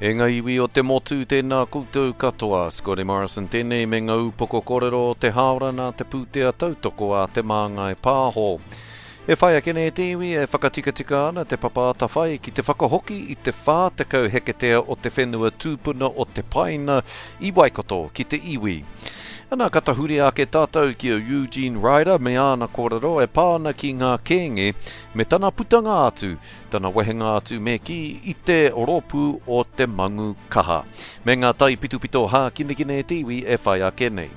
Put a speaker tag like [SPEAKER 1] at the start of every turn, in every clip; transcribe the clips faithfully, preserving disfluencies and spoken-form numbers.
[SPEAKER 1] E ngā iwi o te motu, tēnā koutou katoa. Scotty Morrison tēnei me ngā upoko kōrero o te hāora nā te pūtea tautoko a Te Māngai Pāho. E whai ake nei te iwi e whakatikatika ana te Papa Atawhai ki te whakahoki i te whā tekau heketea o te whenua tūpuna o Te Paina i Waikato ki te iwi. Ana ka tahuri ake tātou ki a Eugene Ryder me āna kōrero e pā ana ki ngā kēnge me tana putanga atu, tana wehenga atu me kī i te rōpū o Te Mangu Kaha. Me ngā taipitopito hākinakina e te iwi e whai ake nei.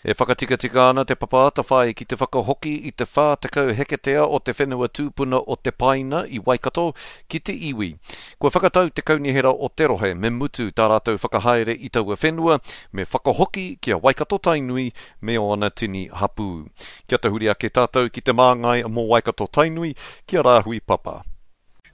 [SPEAKER 1] E whakatikatika ana te Papa Atawhai ki te whakahoki i te whā tekau heketea o te whenua tūpuna o Te Paina i Waikato ki te iwi. Kua whakatau te kaunihera o te rohe me mutu tā rātou whakahaere i taua whenua, me whakahoki ki a Waikato Tainui me ōna tini hapū. Kia tahuri ake tātou ki te māngai mō Waikato Tainui, ki a Rāhui Papa.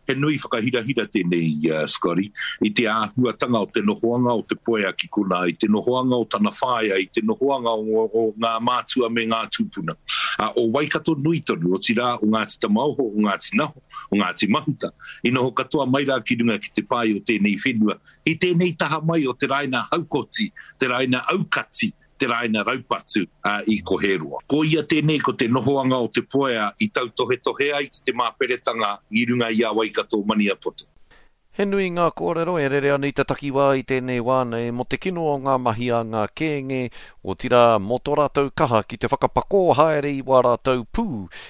[SPEAKER 2] He nui whakahirahira tēnei, uh, Scotty, i te āhuatanga o te nohoanga o te poea ki konā, i te nohoanga o tana whaea, i te nohoanga o, o ngā mātua me ngā tūpuna. Uh, o Waikato nui tonu, otirā o Ngāti Tamaoho, o Ngāti Naho, o Ngāti Mahuta, i noho katoa mai rā ki runga ki te pae o tēnei whenua, i tēnei taha mai o te raina haukoti, te raina aukati, te raina raupatu, uh, i Koheroa. Ko ia tēnei ko te nohoanga o te poea i tautohetohe ai ki te māperetanga i runga i a Waikato Maniapoto.
[SPEAKER 1] He nui ngā kōrero e rere ana i te takiwā i tēnei wā nei mō te kino o ngā mahi a ngā kēnge, otirā mō tō rātou kaha ki te whakapakō haere i wā rātou pū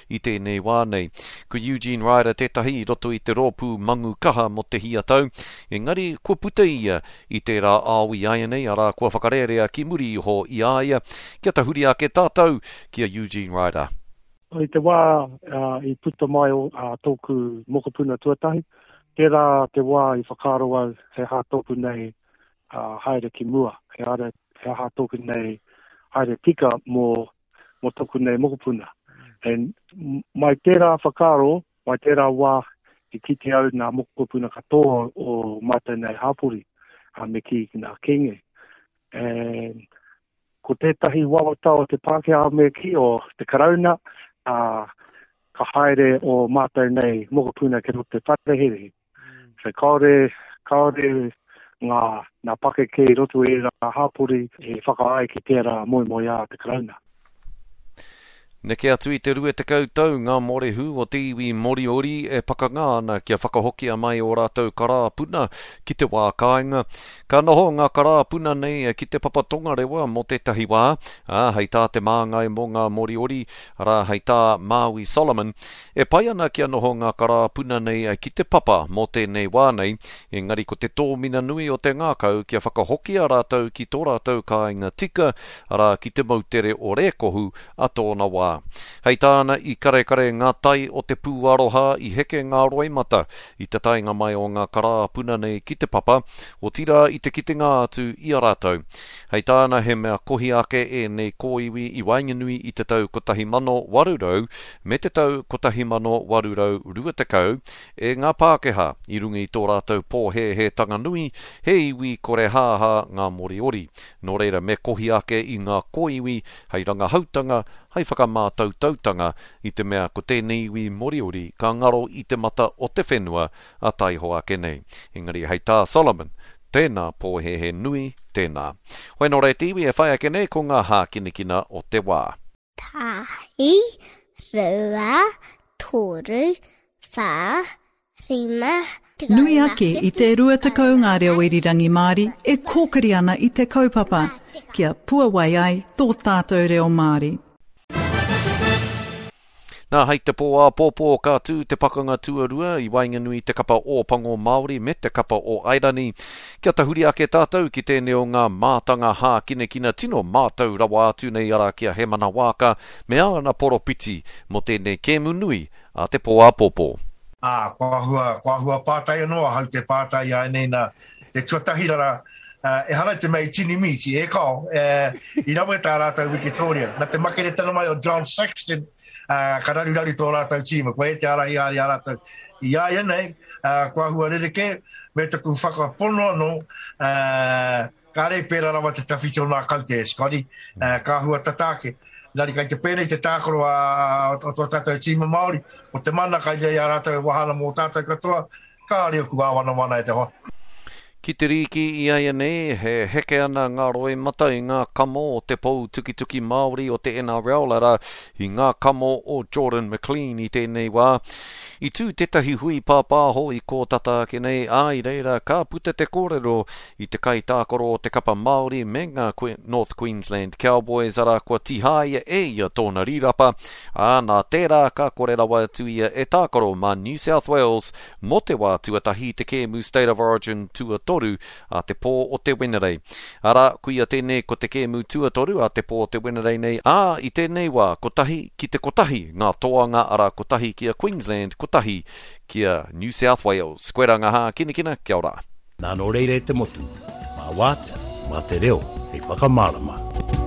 [SPEAKER 1] i tēnei wā nei. Ko Eugene Ryder tētahi i roto i te rōpū Mangu Kaha mō te hiatau, engari kua puta ia i tērā ao i āianei, arā kua whakarērea ki muri iho i a ia. Kia tahuri ake tātou ki a Eugene Ryder.
[SPEAKER 3] I te wā, uh, i puta mai o, uh, tōku mokopuna tuatahi, tērā te wā i whakaaro au he aha tōku nei, uh, haere ki mua, he haere, he aha tōku nei haere tika mō, mō tōku nei mokopuna. And mai tērā whakaaro, mai tērā wā i kite au nā mokopuna katoa o mātou nei hapori, uh, me ki ki nā kēnge. And ko tētahi wawata o te Pākehā me ki o te Karauna, uh, ka haere o mātou nei mokopuna ki roto te wharehere. So kāore, kāore ngā, ngā pakeke i roto i rā hapori e whakaae ki tērā moemoeā te Karauna.
[SPEAKER 1] Neke atu i te rua tekau tau ngā mōrehu o te iwi Moriori e pakanga ana kia whakahokia mai o rātou karāpuna ki te wā kāinga. Ka noho ngā karāpuna nei ki te Papa Tongarewa mō tētahi wā, ā, hei tā te māngai mō ngā Moriori, arā hei tā Maui Solomon, e pai ana kia noho ngā karāpuna nei ki te papa mō tēnei wā nei, engari ko te tōmina nui o te ngākau kia whakahokia rātou ki tō rātou kāinga tika, arā ki te moutere o Rēkohu a tōna wā. Hei tāna i karekare ngā tai o te pūaroha i heke ngā roimata i te taenga mai o ngā karāpuna nei ki te papa, otirā i te kitenga atu i a rātou. Hei tāna he mea kohi ake ēnei kōiwi i waenganui i te tau kotahi mano waru rau me te tau kotahi mano waru rau rua tekau e ngā Pākehā i runga i tō rātou pōhēhētanga nui, he iwi kore hāhā ngā Moriori. Nō reira me kohi ake i ngā kōiwi hei rangahautanga, hei whakamātautautanga i te mea ko tēnei iwi Moriori ka ngaro i te mata o te whenua a taiho ake nei. Engari hei tā Solomon, tēnā pōhēhē nui, tēnā. Hoi nō reira te iwi e whai ake nei ko ngā hākinakina o te wā.
[SPEAKER 4] Tahi, rua, toru, whā, rima,
[SPEAKER 5] Nui ake i te rua tekau ngā reo irirangi Māori e kōkiri ana i te kaupapa, kia puawai ai tō tātou reo Māori.
[SPEAKER 1] Nā, hei te pō āpōpō ka tū te pakanga tuarua i waenganui te kapa o Pango Māori me te kapa o Airani. Kia tahuri ake tātou ki tēnei o ngā mātanga hākinakina tino mātau rawa atu nei arā ki a Hemana Wāka me āna poropiti mō tēnei kēmu nui a te pō āpōpō.
[SPEAKER 6] Ā, kua hua, kua hua pātai anō ahau te pātai ai nei nā te tuatahi rara, uh, ehara i te mea i tini mīti, e kao, e, i rawe tā rātou Wikitoria. Nā te makeretanga mai o John Sexton, uh, ka raruraru tō rātou tīma, kua e te arahi ari a rātou. I a ia nei, uh, kua hua rereke, me taku whakapono anō, uh, ka rei pērā rawa te tawhiti o nā kaute, Scotty, uh, ka hua tata ake. Nari kai te pēnei te tākaro a, a, a tō tātou tīma Māori, ko te mana kai rei a rātou e wahana mō tātou katoa, Kāore oku āwanawana e te hoa.
[SPEAKER 1] Ki te rīki i āianei, he heke ana ngā roimata i ngā kamo o te pou tukituki Māori o te N R L, arā, i ngā kamo o Jordan McLean i tēnei wā. I tū tētahi hui pāpāho i kō tata ake nei, ā, i reira ka puta te kōrero i te kaitākaro o te kapa Māori me ngā North Queensland Cowboys, arā, kua tīhaia e ia tōna rīrapa, ā, nā tērā ka kore rawa atu ia e tākaro mā New South Wales mō te wā tuatahi te kēmu State of Origin tuatoru a te pō o te Wenerei. Arā, kuia tēnei ko te kēmu tuatoru a te pō o te Wenerei nei, ā, i tēnei wā, kotahi ki te kotahi ngā toanga, arā, kotahi ki a Queensland, kotahi ki a New South Wales. Koe rā ngā hākinakina, kia ora.
[SPEAKER 7] Nā nō reira e te motu, mā wātea, mā te reo, hei whakamārama.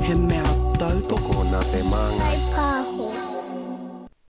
[SPEAKER 8] He mea tautoko
[SPEAKER 9] nā te māngai.